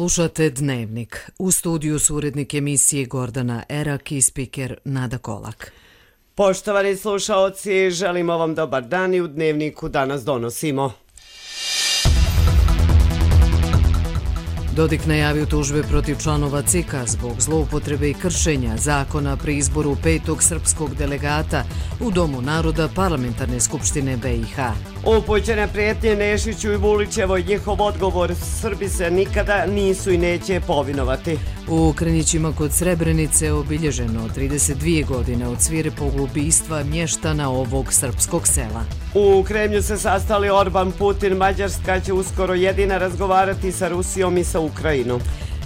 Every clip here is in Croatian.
Slušate Dnevnik. U studiju su urednik emisije Gordana Erak i spiker Nada Kolak. Poštovani slušaoci, želimo vam dobar dan i u Dnevniku danas donosimo. Dodik najavio tužbe protiv članova CIK-a zbog zloupotrebe i kršenja zakona pri izboru 5. srpskog delegata u Domu naroda Parlamentarne skupštine BiH. Upućene prijetnje Nešiću i Vulićevoj, njihov odgovor: Srbi se nikada nisu i neće povinovati. U Krnjićima kod Srebrenice obilježeno 32 godine od svirepog ubistva mještana ovog srpskog sela. U Kremlju se sastali Orban, Putin, Mađarska će uskoro jedina razgovarati sa Rusijom i sa Ukrajinom.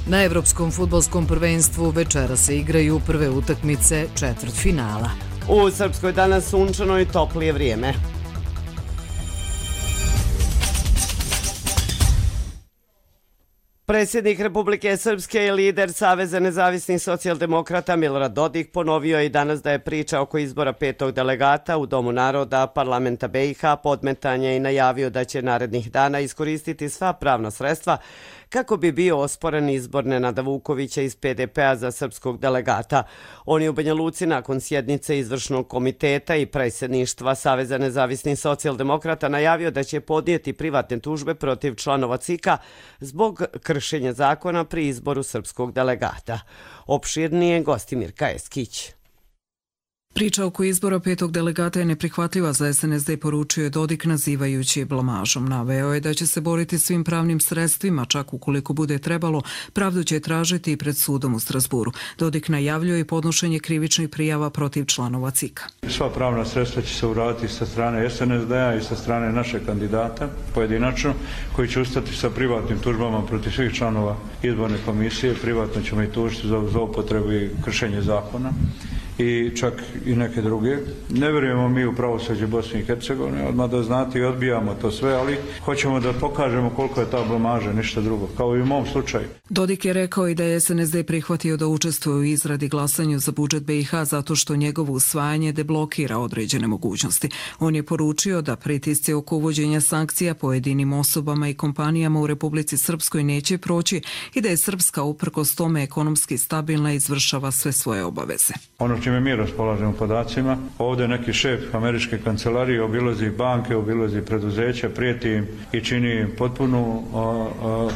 Na Evropskom fudbalskom prvenstvu večera se igraju prve utakmice četvrtfinala. U Srpskoj danas sunčano i toplije vrijeme. Predsjednik Republike Srpske i lider Saveza nezavisnih socijaldemokrata Milorad Dodik ponovio je i danas da je priča oko izbora 5. delegata u Domu naroda Parlamenta BiH podmetanje i najavio da će narednih dana iskoristiti sva pravna sredstva kako bi bio osporen izbor Nenada Vukovića iz PDP-a za srpskog delegata. On je u Banja Luci nakon sjednice izvršnog komiteta i predsjedništva Saveza nezavisnih socijaldemokrata najavio da će podnijeti privatne tužbe protiv članova CIK-a zbog kršenja zakona pri izboru srpskog delegata. Opširnije Gostimir Kajeskić. Priča oko izbora 5. delegata je neprihvatljiva za SNSD, poručio je Dodik nazivajući je blamažom. Naveo je da će se boriti svim pravnim sredstvima, čak ukoliko bude trebalo, pravdu će tražiti i pred sudom u Strasburu. Dodik najavljuje i podnošenje krivičnih prijava protiv članova CIK-a. Sva pravna sredstva će se uraditi sa strane SNSD-a i sa strane našeg kandidata, pojedinačno, koji će ustati sa privatnim tužbama protiv svih članova izborne komisije. Privatno ćemo i tužiti za zloupotrebu i kršenje zakona i čak i neke druge. Ne vjerujemo mi u pravosuđe Bosne i Hercegovine, odmah da znate, i odbijamo to sve, ali hoćemo da pokažemo koliko je ta blamaža, ništa drugo, kao i u mom slučaju. Dodik je rekao i da je SNSD prihvatio da učestvuje u izradi glasanju za budžet BiH zato što njegovo usvajanje deblokira određene mogućnosti. On je poručio da pritisci oko uvođenja sankcija pojedinim osobama i kompanijama u Republici Srpskoj neće proći i da je Srpska uprkos tome ekonomski stabilna i izvršava sve svoje obaveze. Ono čime mi raspolažemo podacima, ovdje neki šef američke kancelarije obilazi banke, obilazi preduzeća, prijeti im i čini im potpunu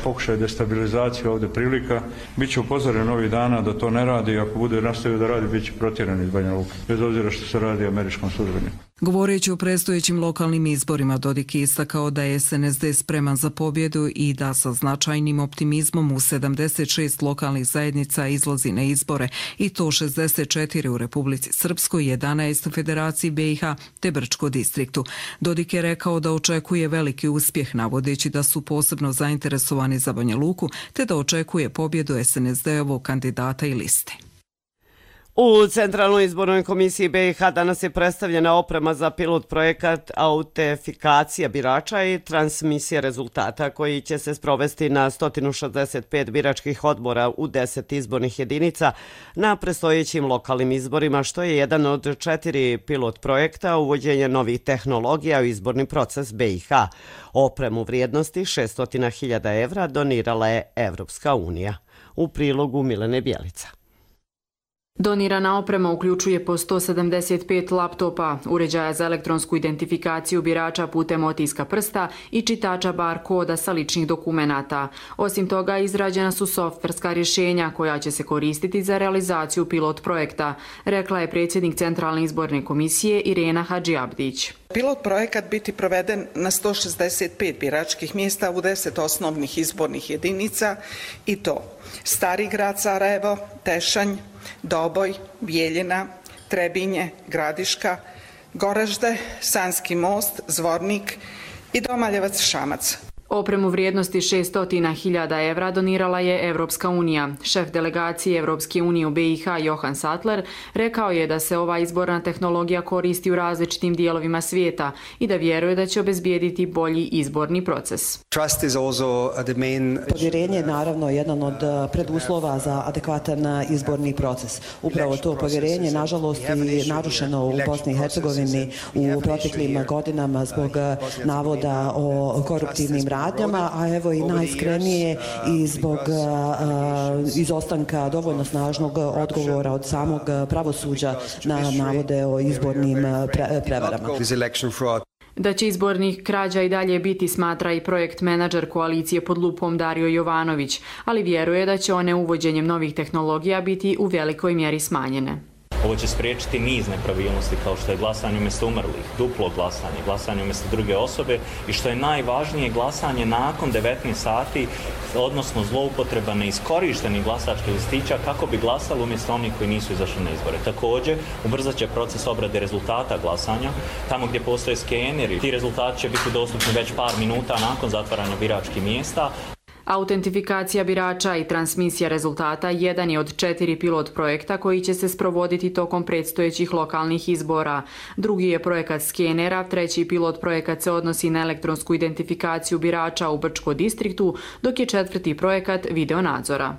pokušaj destabilizacije ovdje prilika. Biće upozoren ovih dana da to ne radi, ako bude nastavio da radi, bit će protjeran iz Banja Luke, bez obzira što se radi o američkom službeniku. Govoreći o predstojećim lokalnim izborima, Dodik je istakao da je SNSD spreman za pobjedu i da sa značajnim optimizmom u 76 lokalnih zajednica izlazi na izbore, i to 64 u Republici Srpskoj, 11 u Federaciji BiH te Brčko distriktu. Dodik je rekao da očekuje veliki uspjeh, navodeći da su posebno zainteresovani za Banja Luku te da očekuje pobjedu SNSD-ovog kandidata i liste. U Centralnoj izbornoj komisiji BiH danas je predstavljena oprema za pilot projekat autentifikacija birača i transmisija rezultata koji će se sprovesti na 165 biračkih odbora u 10 izbornih jedinica na predstojećim lokalnim izborima, što je jedan od 4 pilot projekta uvođenja novih tehnologija u izborni proces BiH. Opremu vrijednosti 600.000 evra donirala je Evropska unija. U prilogu Milene Bjelica. Donirana oprema uključuje po 175 laptopa, uređaja za elektronsku identifikaciju birača putem otiska prsta i čitača bar koda sa ličnih dokumenata. Osim toga, izrađena su softverska rješenja koja će se koristiti za realizaciju pilot projekta, rekla je predsjednik Centralne izborne komisije Irena Hadžiabdić. Pilot projekat biti proveden na 165 biračkih mjesta u 10 osnovnih izbornih jedinica, i to Stari grad Sarajevo, Tešanj, Doboj, Bijeljina, Trebinje, Gradiška, Goražde, Sanski most, Zvornik i Domaljevac Šamac. Opremu vrijednosti 600.000 evra donirala je Evropska unija. Šef delegacije Evropske unije u BiH Johan Sattler rekao je da se ova izborna tehnologija koristi u različitim dijelovima svijeta i da vjeruje da će obezbijediti bolji izborni proces. Povjerenje je naravno jedan od preduslova za adekvatan izborni proces. Upravo to povjerenje, nažalost, je narušeno u Bosni i Hercegovini u proteklim godinama zbog navoda o koruptivnim radnjama, a evo i najiskrenije i zbog izostanka dovoljno snažnog odgovora od samog pravosuđa na navode o izbornim prevarama. Da će izbornih krađa i dalje biti, smatra i projekt menadžer koalicije pod lupom Dario Jovanović, ali vjeruje da će one uvođenjem novih tehnologija biti u velikoj mjeri smanjene. Ovo će spriječiti niz nepravilnosti kao što je glasanje umjesto umrlih, duplo glasanje, glasanje umjesto druge osobe i što je najvažnije glasanje nakon 19 sati, odnosno zloupotreba neiskorištenih glasačkih listića kako bi glasali umjesto onih koji nisu izašli na izbore. Također, ubrzat će proces obrade rezultata glasanja, tamo gdje postoje skeneri. Ti rezultati će biti dostupni već par minuta nakon zatvaranja biračkih mjesta. Autentifikacija birača i transmisija rezultata jedan je od 4 pilot projekta koji će se sprovoditi tokom predstojećih lokalnih izbora. Drugi je projekat skenera, treći pilot projekat se odnosi na elektronsku identifikaciju birača u Brčkom distriktu, dok je četvrti projekat videonadzora.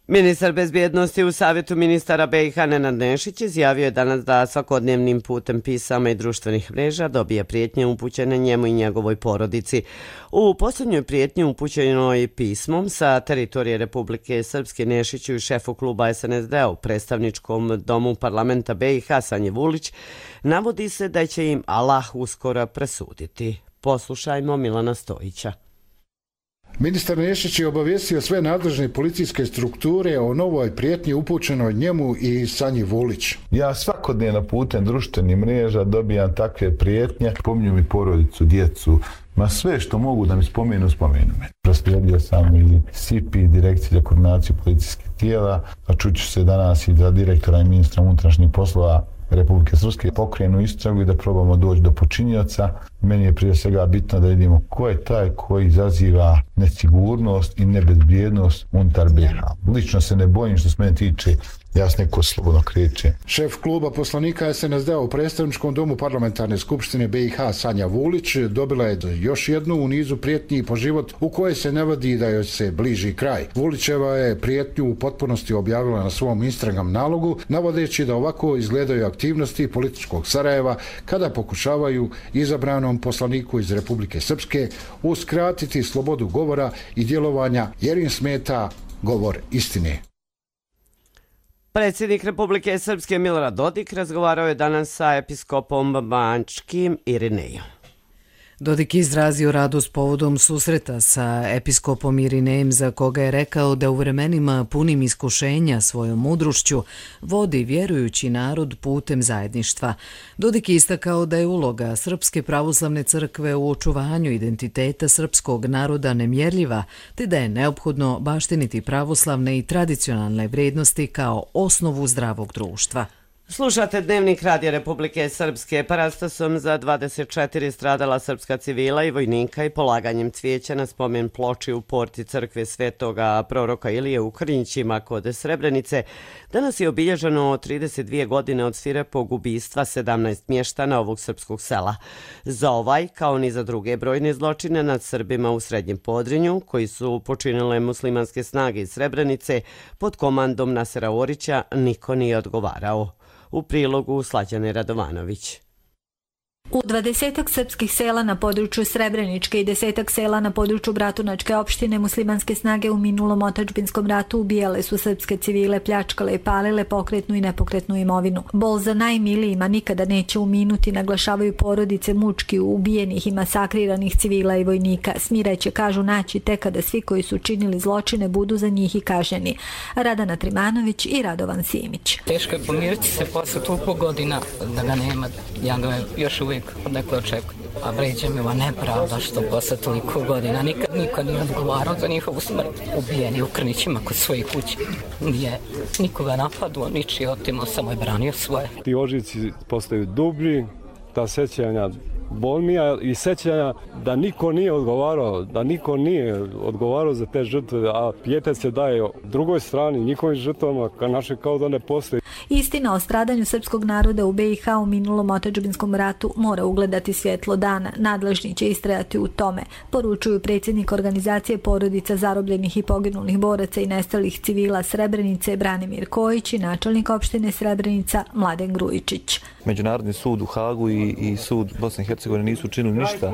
Ministar bezbjednosti u Savjetu ministara BiH Nenad Nešić izjavio je danas da svakodnevnim putem pisama i društvenih mreža dobije prijetnje upućene njemu i njegovoj porodici. U posljednjoj prijetnji upućenoj pismom sa teritorije Republike Srpske Nešiću i šefu kluba SNSD-a u predstavničkom domu parlamenta BiH Sanji Vulić navodi se da će im Allah uskoro presuditi. Poslušajmo Milana Stojića. Ministar Nešić je obavijestio sve nadležne policijske strukture o novoj prijetnji upućenoj njemu i Sanji Vulić. Ja svakodnevno putem društvenih mreža dobijam takve prijetnje, spominju mi porodicu, djecu, ma sve što mogu da mi spomenu me. Proslijedio sam i SIP, Direkcije za koordinaciju policijskih tijela, a čuću se danas i za direktora i ministra unutrašnjih poslova Republike Srpske pokrenu istragu i da probamo doći do počinioca. Meni je prije svega bitno da vidimo ko je taj koji izaziva nesigurnost i nebezbjednost unutar BiH. Lično se ne bojim što se mene tiče, ja se neko slobodno kreće. Šef kluba poslanika SNSD-a u predstavničkom domu parlamentarne skupštine BiH Sanja Vulić dobila je još jednu u nizu prijetnji po život u kojoj se navodi da joj se bliži kraj. Vulićeva je prijetnju u potpunosti objavila na svom Instagram nalogu, navodeći da ovako izgledaju aktivnosti političkog Sarajeva kada pokušavaju izabranom poslaniku iz Republike Srpske uskratiti slobodu govora i djelovanja jer im smeta govor istine. Predsjednik Republike Srpske Milorad Dodik razgovarao je danas sa episkopom Banjskim Irinejom. Dodik izrazio radost povodom susreta sa episkopom Irinejem, za koga je rekao da u vremenima punim iskušenja svojom mudrošću vodi vjerujući narod putem zajedništva. Dodik je istakao da je uloga Srpske pravoslavne crkve u očuvanju identiteta srpskog naroda nemjerljiva, te da je neophodno baštiniti pravoslavne i tradicionalne vrijednosti kao osnovu zdravog društva. Slušate Dnevnik Radija Republike Srpske. Parastosom za 24 stradala srpska civila i vojnika i polaganjem cvijeća na spomen ploči u porti crkve svetoga proroka Ilije u Krnjićima kod Srebrenice danas je obilježeno 32 godine od svirepog ubistva 17 mještana ovog srpskog sela. Za ovaj, kao ni za druge brojne zločine nad Srbima u Srednjem Podrinju, koji su počinile muslimanske snage iz Srebrenice pod komandom Nasera Orića, niko nije odgovarao. U prilogu Slađane Radovanović. U 20 srpskih sela na području Srebreničke i 10 sela na području Bratunačke opštine muslimanske snage u minulom otadžbinskom ratu ubijale su srpske civile, pljačkale i palile pokretnu i nepokretnu imovinu. Bol za najmilijima nikada neće uminuti, naglašavaju porodice mučki ubijenih i masakriranih civila i vojnika. Smireće, kažu, naći tek kada svi koji su činili zločine budu za njih i kažnjeni. Radana Trimanović i Radovan Simić. Teško je pomiriti se posle toliko godina da ga nema. Ja ga još uvijek odnekle očekujem. A vređa mi ova nepravda što posle toliko godina nikad niko nije odgovarao za njihovu smrt. Ubijeni u Krnićima kod svoje kuće. Nije nikoga napadao, ničiji otimao, samo je branio svoje. Ti ožici postaju dublji, ta sećanja bolnija i sećanja da niko nije odgovarao za te žrtve, a pijetet se daje drugoj strani, njihovim žrtvama, naše kao da ne postoji. Istina o stradanju srpskog naroda u BiH u minulom otadžbinskom ratu mora ugledati svjetlo dana. Nadležni će istrajati u tome, poručuju predsjednik organizacije porodica zarobljenih i poginulih boraca i nestalih civila Srebrenice Branimir Kojić i načelnik opštine Srebrenica Mladen Grujičić. Međunarodni sud u Hagu i sud Bosne i Hercegovine nisu učinili ništa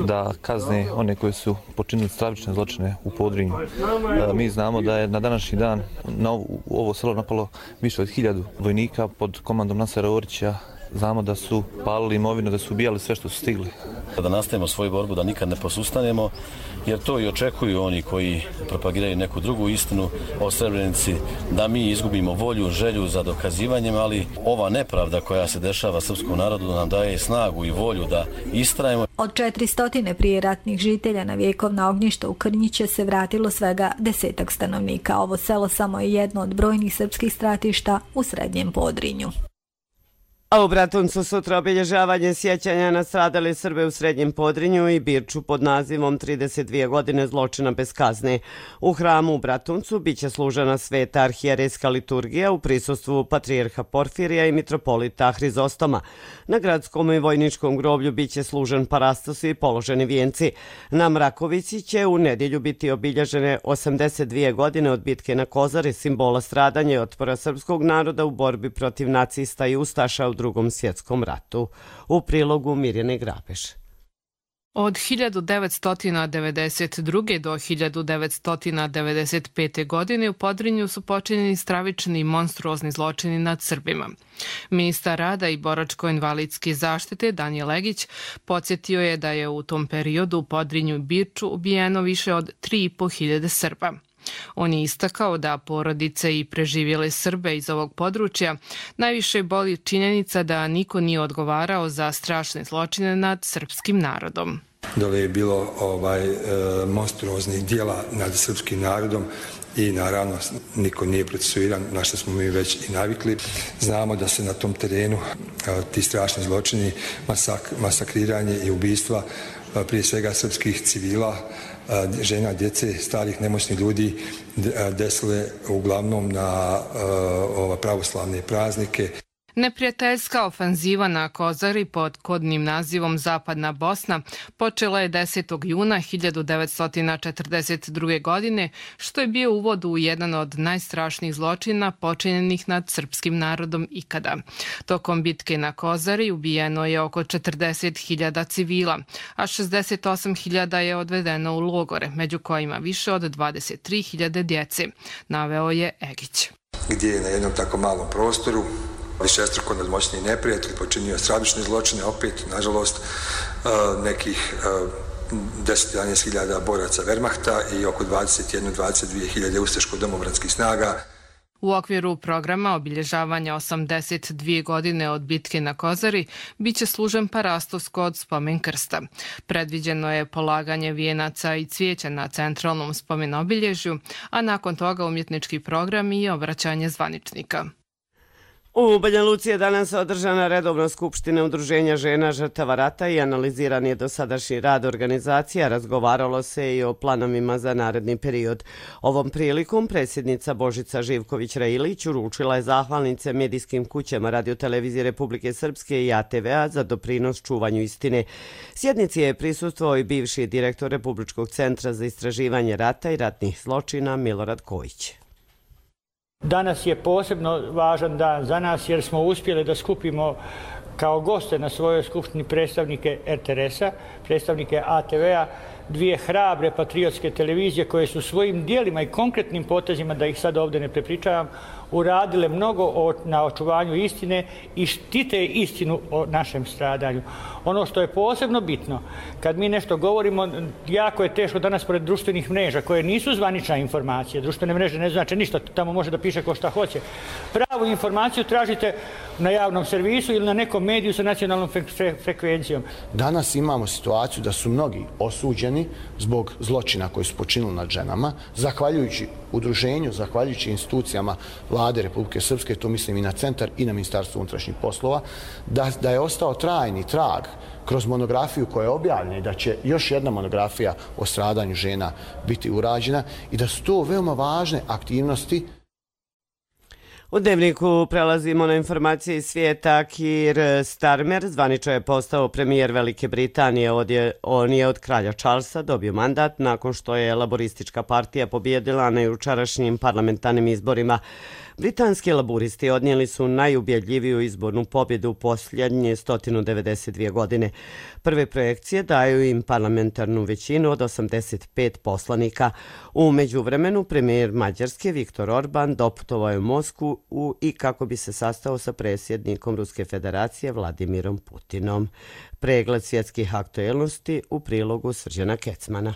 da kazne one koji su počinili stravične zločine u Podrinju. Mi znamo da je na današnji dan na ovo selo napalo više od 1000 vojnika pod komandom Nasera Orića. Znamo da su palili imovinu, da su ubijali sve što su stigli. Da nastavimo svoju borbu, da nikad ne posustanemo, jer to i očekuju oni koji propagiraju neku drugu istinu o Srebrenici, da mi izgubimo volju, želju za dokazivanjem, ali ova nepravda koja se dešava srpskom narodu nam daje snagu i volju da istrajemo. Od 400 prijeratnih žitelja na vjekovna ognjišta u Krnjiće se vratilo svega 10 stanovnika. Ovo selo samo je jedno od brojnih srpskih stratišta u Srednjem Podrinju. A u Bratuncu sutra obilježavanje sjećanja na stradale Srbe u Srednjem Podrinju i Birču pod nazivom 32 godine zločina bez kazne. U hramu u Bratuncu biće služena sveta arhijerejska liturgija u prisustvu patrijarha Porfirija i mitropolita Hrizostoma. Na gradskom i vojničkom groblju biće služen parastos i položeni vijenci. Na Mrakovici će u nedjelju biti obilježene 82 godine od bitke na Kozari, simbola stradanja i otpora srpskog naroda u borbi protiv nacista i ustaša u Drugom svjetskom ratu. U prilogu Mirjane Grabeš. Od 1992. do 1995. godine u Podrinju su počinjeni stravični i monstruozni zločini nad Srbima. Ministar rada i boračko-invalidske zaštite Danijel Legić podsjetio je da je u tom periodu u Podrinju i Birču ubijeno više od 3.500 Srba. On je istakao da porodice i preživjele Srbe iz ovog područja najviše boli činjenica da niko nije odgovarao za strašne zločine nad srpskim narodom. Dole je bilo monstruoznih dijela nad srpskim narodom i naravno niko nije procesuiran, na što smo mi već i navikli. Znamo da se na tom terenu ti strašni zločini, masakriranje i ubistva prije svega srpskih civila, žena, djece, starih, nemoćnih ljudi desile uglavnom na pravoslavne praznike. Neprijateljska ofanziva na Kozari pod kodnim nazivom Zapadna Bosna počela je 10. juna 1942. godine, što je bio uvod u jedan od najstrašnijih zločina počinjenih nad srpskim narodom ikada. Tokom bitke na Kozari ubijeno je oko 40.000 civila, a 68.000 je odvedeno u logore, među kojima više od 23.000 djece, naveo je Egić. Gdje je na jednom tako malom prostoru višestruko nadmoćni neprijatelj počinio stravične zločine, opet, nažalost, nekih 10-11.000 boraca Wehrmachta i oko 21-22.000 ustaško-domobranskih snaga. U okviru programa obilježavanja 82 godine od bitke na Kozari biće služen parastos kod spomen krsta. Predviđeno je polaganje vijenaca i cvijeća na centralnom spomen obilježju, a nakon toga umjetnički program i obraćanje zvaničnika. U Banja Luci je danas održana redovna skupština Udruženja žena žrtava rata i analiziran je dosadašnji rad organizacija, razgovaralo se i o planovima za naredni period. Ovom prilikom predsjednica Božica Živković-Railić uručila je zahvalnice medijskim kućama Radio-televizije Republike Srpske i ATV-a za doprinos čuvanju istine. Sjednici je prisustvovao i bivši direktor Republičkog centra za istraživanje rata i ratnih zločina Milorad Kojić. Danas je posebno važan dan za nas jer smo uspjeli da skupimo kao goste na svojoj skupštini predstavnike RTS-a, predstavnike ATV-a, dvije hrabre patriotske televizije koje su svojim dijelima i konkretnim potezima, da ih sad ovdje ne prepričavam, uradile mnogo na očuvanju istine i štite istinu o našem stradanju. Ono što je posebno bitno, kad mi nešto govorimo, jako je teško danas pored društvenih mreža, koje nisu zvanična informacija. Društvene mreže ne znači ništa, tamo može da piše ko šta hoće. Pravu informaciju tražite na javnom servisu ili na nekom mediju sa nacionalnom frekvencijom. Danas imamo situaciju da su mnogi osuđeni zbog zločina koji su počinili nad ženama, zahvaljujući udruženju, zahvaljujući institucijama Vlade Republike Srpske, to mislim i na centar i na Ministarstvo unutrašnjih poslova, da je ostao trajni trag kroz monografiju koja je objavljena i da će još jedna monografija o stradanju žena biti urađena i da su to veoma važne aktivnosti. U Dnevniku prelazimo na informacije iz svijeta. Keir Starmer zvanično je postao premijer Velike Britanije. On je od kralja Charlesa dobio mandat nakon što je laboristička partija pobjedila na jučerašnjim parlamentarnim izborima. Britanski laburisti odnijeli su najubjedljiviju izbornu pobjedu u posljednje 192 godine. Prve projekcije daju im parlamentarnu većinu od 85 poslanika. U međuvremenu premijer Mađarske Viktor Orban doputovao je u Moskvu i kako bi se sastao sa predsjednikom Ruske federacije Vladimirom Putinom. Pregled svjetskih aktuelnosti u prilogu Srđana Kecmana.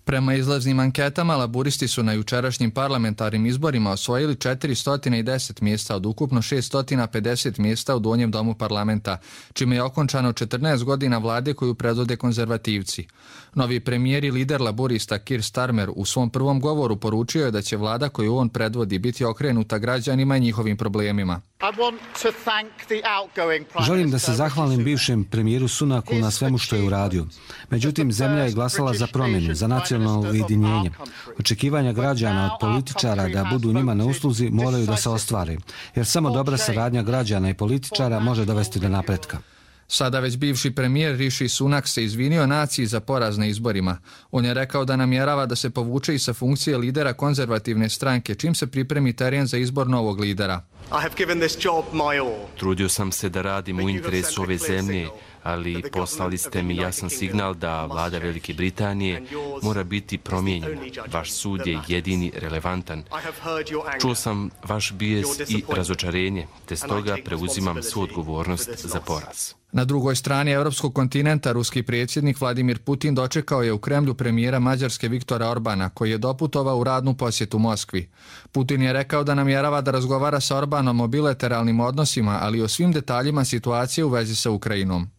Prema izlaznim anketama, laburisti su na jučerašnjim parlamentarnim izborima osvojili 410 mjesta od ukupno 650 mjesta u donjem domu parlamenta, čime je okončano 14 godina vlade koju predvode konzervativci. Novi premijer i lider laburista Keir Starmer u svom prvom govoru poručio je da će vlada koju on predvodi biti okrenuta građanima i njihovim problemima. Želim da se zahvalim bivšem premijeru Sunaku na svemu što je uradio. Međutim, zemlja je glasala za promjenu, za nacionalno ujedinjenje. Očekivanja građana od političara da budu njima na usluzi moraju da se ostvare, jer samo dobra saradnja građana i političara može dovesti do napretka. Sada već bivši premijer Rishi Sunak se izvinio naciji za poraz na izborima. On je rekao da namjerava da se povuče i sa funkcije lidera konzervativne stranke, čim se pripremi teren za izbor novog lidera. Trudio sam se da radim u interesu ove zemlje, ali poslali ste mi jasan signal da vlada Velike Britanije mora biti promijenjena. Vaš sud je jedini relevantan. Čuo sam vaš bijes i razočarenje, te stoga preuzimam svu odgovornost za poraz. Na drugoj strani europskog kontinenta ruski predsjednik Vladimir Putin dočekao je u Kremlju premijera Mađarske Viktora Orbana, koji je doputovao u radnu posjetu Moskvi. Putin je rekao da namjerava da razgovara sa Orbanom o bilateralnim odnosima, ali i o svim detaljima situacije u vezi sa Ukrajinom.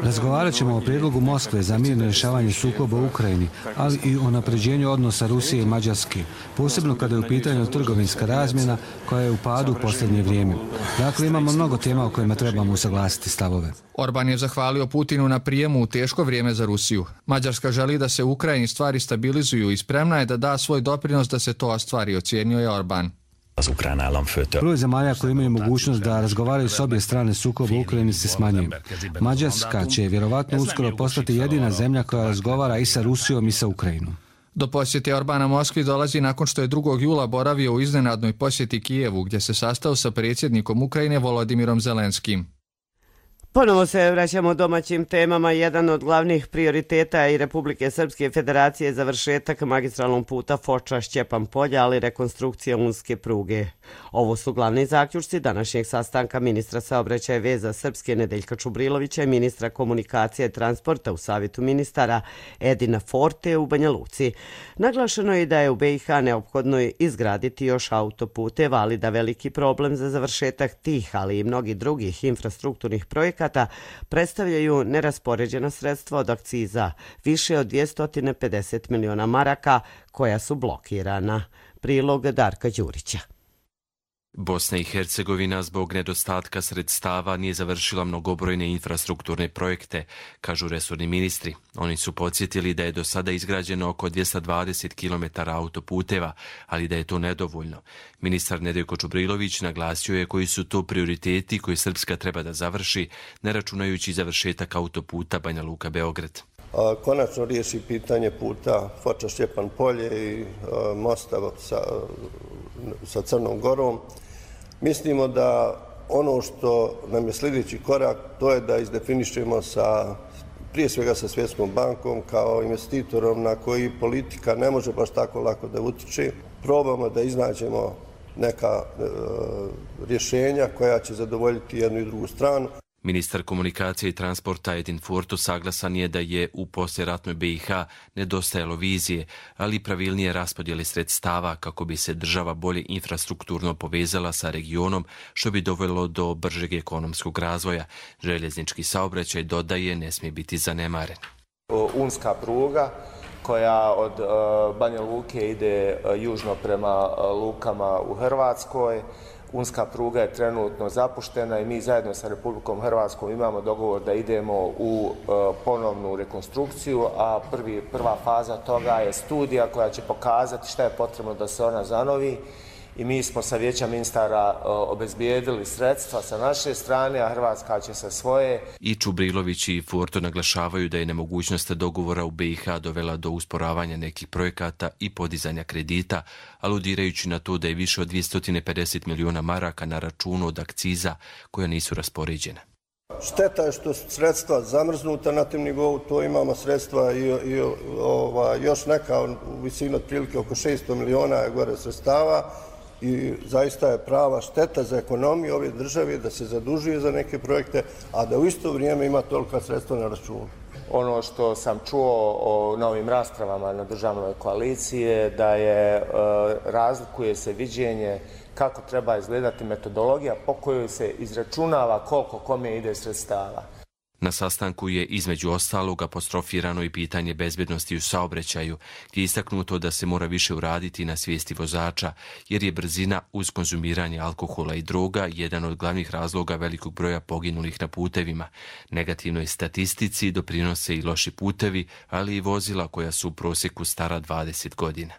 Razgovarat ćemo o prijedlogu Moskve za mirno rješavanje sukoba u Ukrajini, ali i o napređenju odnosa Rusije i Mađarske, posebno kada je u pitanju trgovinska razmjena koja je u padu u posljednje vrijeme. Dakle, imamo mnogo tema o kojima trebamo usaglasiti stavove. Orban je zahvalio Putinu na prijemu u teško vrijeme za Rusiju. Mađarska želi da se u Ukrajini stvari stabilizuju i spremna je da da svoj doprinos da se to ostvari, ocijenio je Orban. Broj zemalja koji imaju mogućnost da razgovaraju s obje strane sukoba u Ukrajini se smanjuje. Mađarska će vjerovatno uskoro postati jedina zemlja koja razgovara i sa Rusijom i sa Ukrajinom. Do posjete Orbana Moskvi dolazi nakon što je 2. jula boravio u iznenadnoj posjeti Kijevu, gdje se sastao sa predsjednikom Ukrajine Volodimirom Zelenskim. Ponovo se vraćamo domaćim temama. Jedan od glavnih prioriteta i Republike Srpske federacije je završetak magistralnog puta Foča-Šćepan Polja, ali rekonstrukcija unske pruge. Ovo su glavni zaključci današnjeg sastanka ministra saobraćaja i veza Srpske Nedeljka Čubrilovića i ministra komunikacije i transporta u Savjetu ministara Edina Forte u Banja Luci. Naglašeno je da je u BiH neophodno izgraditi još autoputeva, ali da veliki problem za završetak tih, ali i mnogih drugih infrastrukturnih projekata predstavljaju neraspoređena sredstva od akciza, više od 250 miliona maraka koja su blokirana. Prilog Darka Đurića. Bosna i Hercegovina zbog nedostatka sredstava nije završila mnogobrojne infrastrukturne projekte, kažu resorni ministri. Oni su podsjetili da je do sada izgrađeno oko 220 km autoputeva, ali da je to nedovoljno. Ministar Nedeljko Čubrilović naglasio je koji su to prioriteti koje Srpska treba da završi, ne računajući završetak autoputa Banja Luka-Beograd. Konačno riješi pitanje puta Foča-Šćepan Polje i mosta sa Crnom Gorom. Mislimo da ono što nam je sljedeći korak, to je da izdefinišemo prije svega sa Svjetskom bankom kao investitorom na koji politika ne može baš tako lako da utiče. Probamo da iznađemo neka rješenja koja će zadovoljiti jednu i drugu stranu. Ministar komunikacije i transporta Edin Forto saglasan je da je u poslijeratnoj BiH nedostajalo vizije, ali i pravilnije raspodjele sredstava kako bi se država bolje infrastrukturno povezala sa regionom, što bi dovelo do bržeg ekonomskog razvoja. Željeznički saobraćaj, dodaje, ne smije biti zanemaren. Unska pruga koja od Banja Luke ide južno prema lukama u Hrvatskoj. Unska pruga je trenutno zapuštena i mi zajedno sa Republikom Hrvatskom imamo dogovor da idemo u ponovnu rekonstrukciju, a prva faza toga je studija koja će pokazati šta je potrebno da se ona zanovi i mi smo sa vijeća ministara obezbijedili sredstva sa naše strane, a Hrvatska će sa svoje. I Čubrilović i Furto naglašavaju da je nemogućnost dogovora u BiH dovela do usporavanja nekih projekata i podizanja kredita, aludirajući na to da je više od 250 miliona maraka na računu od akciza koja nisu raspoređena. Šteta je što su sredstva zamrznuta na tim nivou, to imamo sredstva i još neka u visini otprilike oko 600 miliona je gore sredstava i zaista je prava šteta za ekonomiju ove države da se zadužuje za neke projekte, a da u isto vrijeme ima tolika sredstva na računu. Ono što sam čuo o novim raspravama na državnoj koaliciji je da razlikuje se viđenje kako treba izgledati metodologija po kojoj se izračunava koliko kome ide sredstava. Na sastanku je između ostalog apostrofirano i pitanje bezbednosti u saobraćaju, gdje je istaknuto da se mora više uraditi na svijesti vozača, jer je brzina uz konzumiranje alkohola i droga jedan od glavnih razloga velikog broja poginulih na putevima. Negativnoj statistici doprinose i loši putevi, ali i vozila koja su u prosjeku stara 20 godina.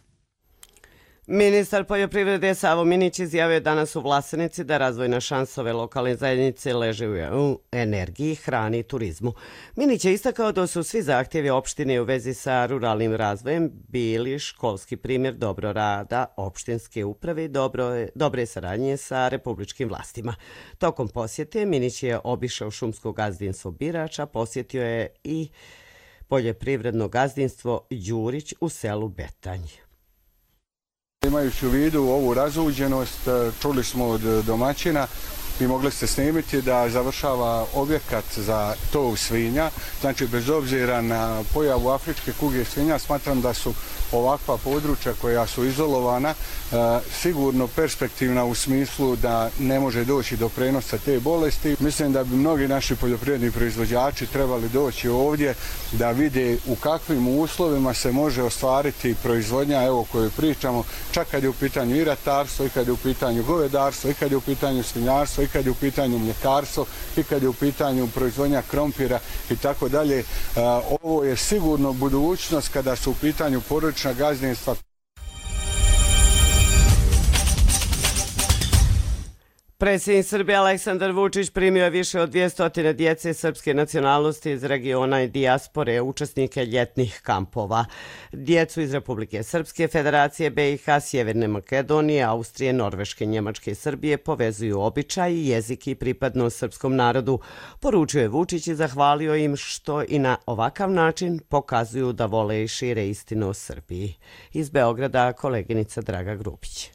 Ministar poljoprivrede Savo Minić izjavio danas u Vlasenici da razvojne šansove lokalne zajednice leže u energiji, hrani i turizmu. Minić je istakao da su svi zahtjevi opštine u vezi sa ruralnim razvojem bili školski primjer dobro rada opštinske uprave i dobre saradnje sa republičkim vlastima. Tokom posjete Minić je obišao šumsko gazdinstvo Birača, posjetio je i poljoprivredno gazdinstvo Đurić u selu Betanj. Imajući u vidu ovu razuđenost, čuli smo od domaćina i mogli ste snimiti da završava objekat za tov svinja. Znači, bez obzira na pojavu afričke kuge svinja, smatram da su ovakva područja koja su izolovana sigurno perspektivna u smislu da ne može doći do prenosa te bolesti. Mislim da bi mnogi naši poljoprivredni proizvođači trebali doći ovdje da vide u kakvim uslovima se može ostvariti proizvodnja, evo o kojoj pričamo, čak kad je u pitanju i ratarstvo, i kad je u pitanju govedarstvo, i kad je u pitanju svinjarstvo, i kad je u pitanju mljekarstvo, i kad je u pitanju proizvodnja krompira i tako dalje. Ovo je sigurno budućnost kada su u pitanju porodična gazdinstva. Predsjednik Srbije Aleksandar Vučić primio je više od 200 djece srpske nacionalnosti iz regiona i dijaspore, učesnike ljetnih kampova. Djecu iz Republike Srpske, Federacije BiH, Sjeverne Makedonije, Austrije, Norveške, Njemačke i Srbije povezuju običaji, jezik i pripadnost srpskom narodu. Poručio je Vučić i zahvalio im što i na ovakav način pokazuju da vole i šire istinu o Srbiji. Iz Beograda koleginica Draga Grupić.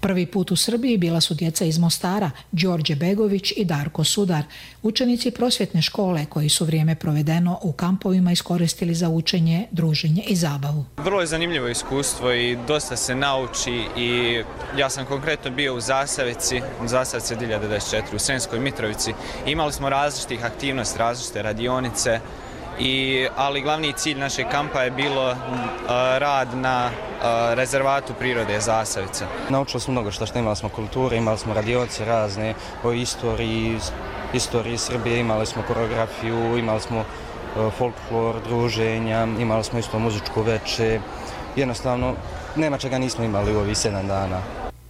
Prvi put u Srbiji bila su djeca iz Mostara, Đorđe Begović i Darko Sudar, učenici prosvjetne škole koji su vrijeme provedeno u kampovima iskoristili za učenje, druženje i zabavu. Vrlo je zanimljivo iskustvo i dosta se nauči i ja sam konkretno bio u Zasavici 1024 u Sremskoj Mitrovici. Imali smo različitih aktivnosti, različite radionice, ali glavni cilj našeg kampa je bilo rad na rezervatu prirode Zasavica. Naučili smo mnogo što imali smo kulture, imali smo radionice razne o istoriji Srbije, imali smo koreografiju, imali smo folklor, druženja, imali smo isto muzičku veče. Jednostavno, nema čega nismo imali u ovih 7 dana.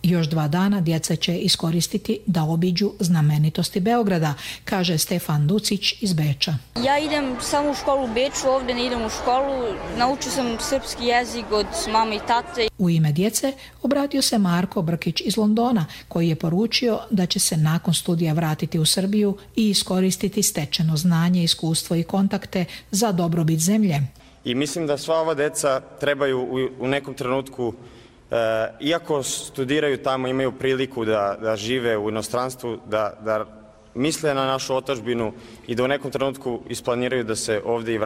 Još 2 dana djeca će iskoristiti da obiđu znamenitosti Beograda, kaže Stefan Ducić iz Beča. Ja idem samo u školu u Beču, ovdje ne idem u školu. Naučio sam srpski jezik od mame i tate. U ime djece obratio se Marko Brkić iz Londona, koji je poručio da će se nakon studija vratiti u Srbiju i iskoristiti stečeno znanje, iskustvo i kontakte za dobrobit zemlje. I mislim da sva ova djeca trebaju u nekom trenutku, iako studiraju tamo, imaju priliku da žive u inostranstvu, da misle na našu otadžbinu i da u nekom trenutku isplaniraju da se ovdje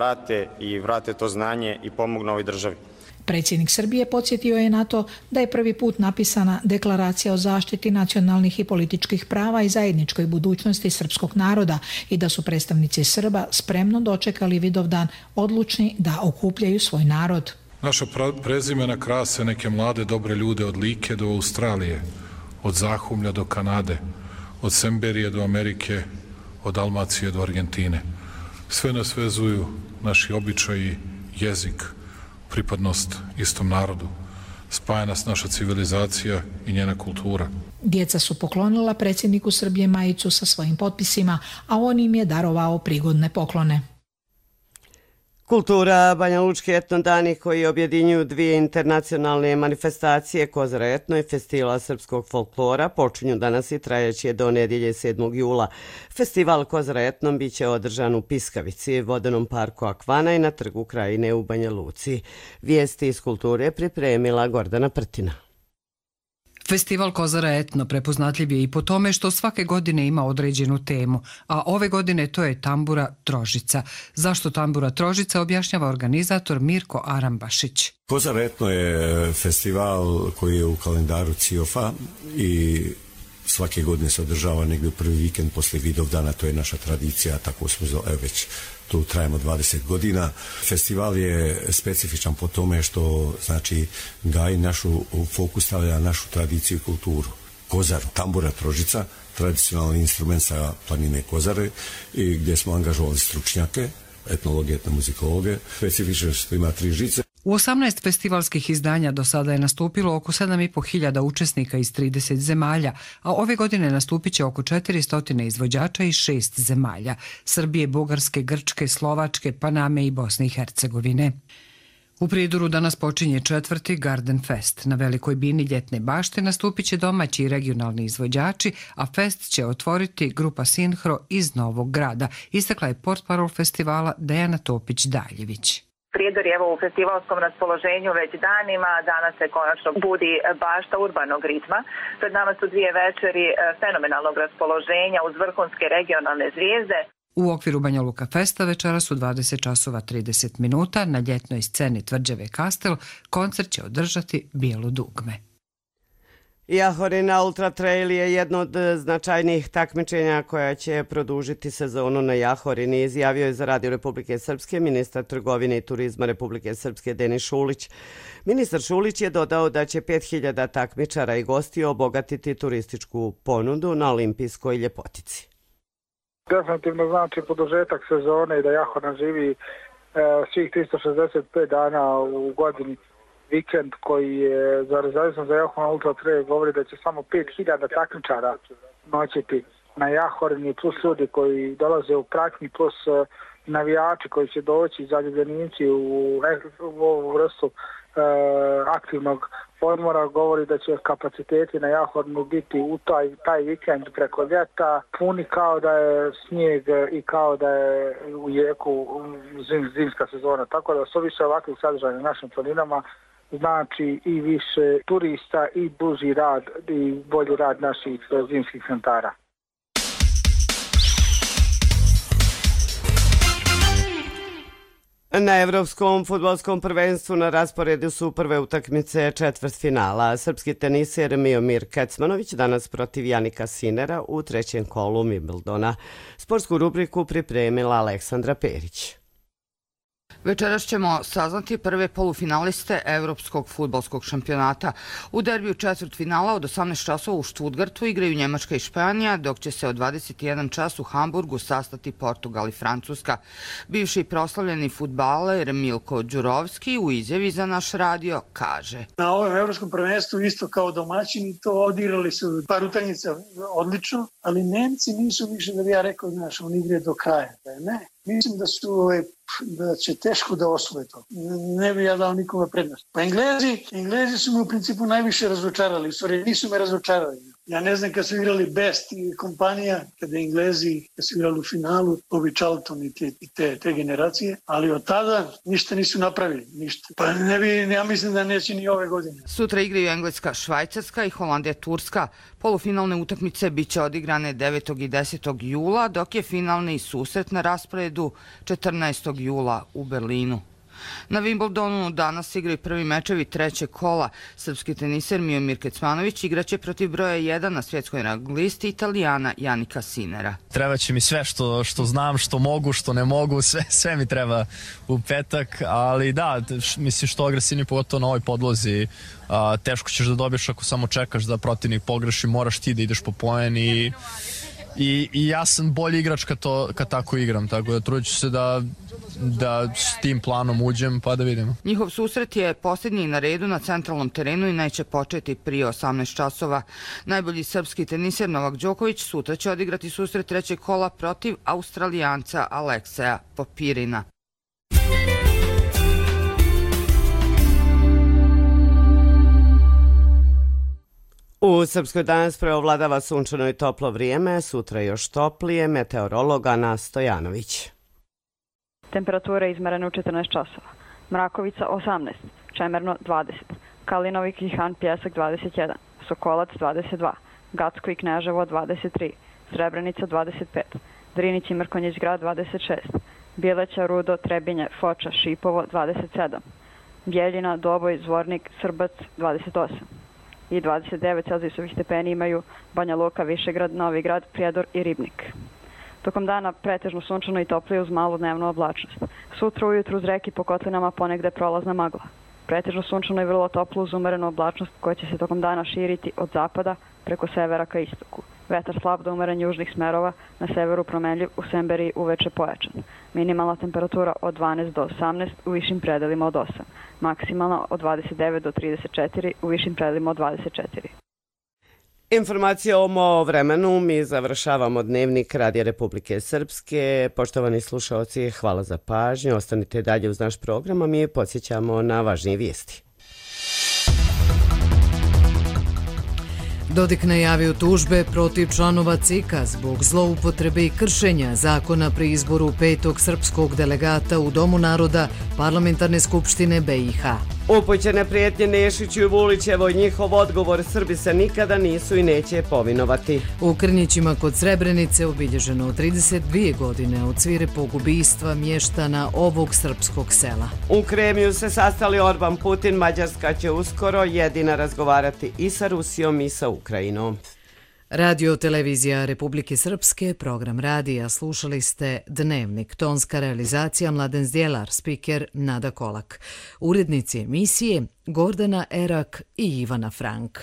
i vrate to znanje i pomognu ovoj državi. Predsjednik Srbije podsjetio je na to da je prvi put napisana deklaracija o zaštiti nacionalnih i političkih prava i zajedničkoj budućnosti srpskog naroda i da su predstavnici Srba spremno dočekali Vidovdan, odlučni da okupljaju svoj narod. Naša prezimena krase neke mlade dobre ljude od Like do Australije, od Zahumlja do Kanade, od Semberije do Amerike, od Dalmacije do Argentine. Sve nas vezuju naši običaji, jezik, pripadnost istom narodu. spaja nas naša civilizacija i njena kultura. Djeca su poklonila predsjedniku Srbije majicu sa svojim potpisima, a on im je darovao prigodne poklone. Kultura Banja Lučki etnodani koji objedinjuju dvije internacionalne manifestacije Kozara etno i Festivala srpskog folklora počinju danas i trajeće do nedjelje 7. jula. Festival Kozara etno biće održan u Piskavici, vodenom parku Akvana i na trgu Krajine u Banja Luci. Vijesti iz kulture pripremila Gordana Prtina. Festival Kozara etno prepoznatljiv je i po tome što svake godine ima određenu temu, a ove godine to je tambura Trožica. Zašto tambura Trožica objašnjava organizator Mirko Arambašić. Kozara etno je festival koji je u kalendaru CIOF-a i svake godine se održava negdje u prvi vikend poslije Vidovdana, to je naša tradicija, tako smo već tu trajemo 20 godina. Festival je specifičan po tome što znači gaji našu fokus, stavlja našu tradiciju i kulturu. Kozar, tambura Trožica, tradicionalni instrument sa planine Kozare i gdje smo angažovali stručnjake, etnologe, etnomuzikologe. Specifično što ima 3 žice. U 18 festivalskih izdanja do sada je nastupilo oko 7.500 učesnika iz 30 zemalja, a ove godine nastupit će oko 400 izvođača iz 6 zemalja: Srbije, Bugarske, Grčke, Slovačke, Paname i Bosne i Hercegovine. U Prijedoru danas počinje 4. Garden Fest. Na velikoj bini ljetne bašte nastupit će domaći i regionalni izvođači, a fest će otvoriti grupa Sinhro iz Novog Grada, istakla je portparol festivala Dejana Topić-Daljević. Prijedor je u festivalskom raspoloženju već danima, danas se konačno budi bašta urbanog ritma. Pred nama su 2 večeri fenomenalnog raspoloženja uz vrhunske regionalne zvijezde. U okviru Banja Luka Festa večera su 20 časova 30 minuta. Na ljetnoj sceni Tvrđave Kastel koncert će održati Bijelo dugme. Jahorina Ultra Trail je jedno od značajnijih takmičenja koja će produžiti sezonu na Jahorini, izjavio je za Radio Republike Srpske ministar trgovine i turizma Republike Srpske Denis Šulić. Ministar Šulić je dodao da će 5000 takmičara i gostiju obogatiti turističku ponudu na olimpijskoj ljepotici. Definitivno znači produžetak sezone i da Jahorina živi svih 365 dana u godini. Vikend koji je za rezervisno za Jahorinu Ultra Trail govori da će samo 5000 takmičara noćiti na Jahorini, plus ljudi koji dolaze u pratnji, plus navijači koji će doći, zaljubljenici u ovu vrstu aktivnog odmora, govori da će kapaciteti na Jahorinu biti u taj vikend preko ljeta puni kao da je snijeg i kao da je u jeku zimska sezona. Tako da su više ovakvih sadržaja na našim planinama znači i više turista i duži rad i bolji rad naših zimskih centara. Na Evropskom fudbalskom prvenstvu na rasporedu su prve utakmice četvrtfinala. Srpski teniser Miomir Kecmanović danas protiv Janika Sinera u 3. kolu Wimbledona. Sportsku rubriku pripremila Aleksandra Perić. Večeras ćemo saznati prve polufinaliste Evropskog fudbalskog šampionata. U derbiju četvrtfinala od 18 časova u Stuttgartu igraju Njemačka i Španija, dok će se od 21 čas u Hamburgu sastati Portugal i Francuska. Bivši proslavljeni fudbaler Milko Đurovski u izjavi za naš radio kaže: Na ovom evropskom prvenstvu isto kao domaćini to odigrali su par utakmica odlično, ali Nemci nisu više, da bi ja rekao, znaš, oni igre do kraja. Ne, mislim da će teško da osvoje to. Ne bi ja dao nikome prednost. Pa Englezi su me u principu najviše razočarali. U stvari nisu me razočarali. Ja ne znam kad su igrali Best i kompanija, kada Englezi kad su igrali u finalu, Bobby Charlton i te generacije, ali od tada ništa nisu napravili. Ništa. Pa ja mislim da neće ni ove godine. Sutra igraju Engleska, Švajcarska i Holandija, Turska. Polufinalne utakmice biće odigrane 9. i 10. jula, dok je finalni susret na rasporedu 14. jula u Berlinu. Na Wimbledonu danas igraju prvi mečevi 3. kola. Srpski teniser Miomir Kecmanović igraće protiv broja 1 na svjetskoj rang listi Italijana Janika Sinera. Treba će mi sve što znam, što mogu, što ne mogu, sve mi treba u petak, ali da, mislim što agresivni pogotovo na ovoj podlozi. Teško ćeš da dobiješ ako samo čekaš da protivnik pogreši, moraš ti da ideš po poen i i ja sam bolji igrač kad tako igram, tako da trudit ću se da s tim planom uđem pa da vidimo. Njihov susret je posljednji na redu na centralnom terenu i neće početi prije 18 časova. Najbolji srpski teniser Novak Đoković sutra će odigrati susret trećeg kola protiv Australijanca Alekseja Popirina. U Srpskoj danas preovladava sunčano i toplo vrijeme, sutra još toplije, meteorolog Ana Stojanović. Temperatura je izmerena u 14 časova. Mrakovica 18, Čemerno 20, Kalinovi Kihan Pjesak 21, Sokolac 22, Gacko i Kneževo 23, Srebrenica 25, Drinić i Mrkonjić grad 26, Bjeleća, Rudo, Trebinje, Foča, Šipovo 27, Bjeljina, Doboj, Zvornik, Srbac 28 i 29 celzijusovih stepeni imaju Banja Luka, Višegrad, Novi Grad, Prijedor i Ribnik. Tokom dana pretežno sunčano i toplije uz malu dnevnu oblačnost. Sutra ujutru uz reki po kotlinama ponegde prolazna magla. Pretežno sunčano i vrlo toplo uz umerenu oblačnost koja će se tokom dana širiti od zapada preko severa ka istoku. Vetar slab do umeren južnih smerova, na severu promenljiv, u Semberiji uveče pojačan. Minimalna temperatura od 12 do 18, u višim predelima od 8. Maksimalna od 29 do 34, u višim predelima od 24. Informacija o vremenu, mi završavamo dnevnik Radija Republike Srpske. Poštovani slušaoci, hvala za pažnju. Ostanite dalje uz naš program, a mi podsjećamo na važnije vijesti. Dodik najavio tužbe protiv članova CIK-a zbog zloupotrebe i kršenja zakona pri izboru 5. srpskog delegata u Domu naroda Parlamentarne skupštine BiH. Upućene prijetnje Nešiću i Vulićevoj, njihov odgovor: Srbi se nikada nisu i neće povinovati. U Krnjićima kod Srebrenice obilježeno 32 godine od svirepog ubistva mještana ovog srpskog sela. U Kremlju se sastali Orban, Putin, Mađarska će uskoro jedina razgovarati i sa Rusijom i sa Ukrajinom. Radio televizija Republike Srpske, program radija, slušali ste Dnevnik, tonska realizacija Mladen Zdjelar, spiker Nada Kolak. Urednici emisije Gordana Erak i Ivana Frank.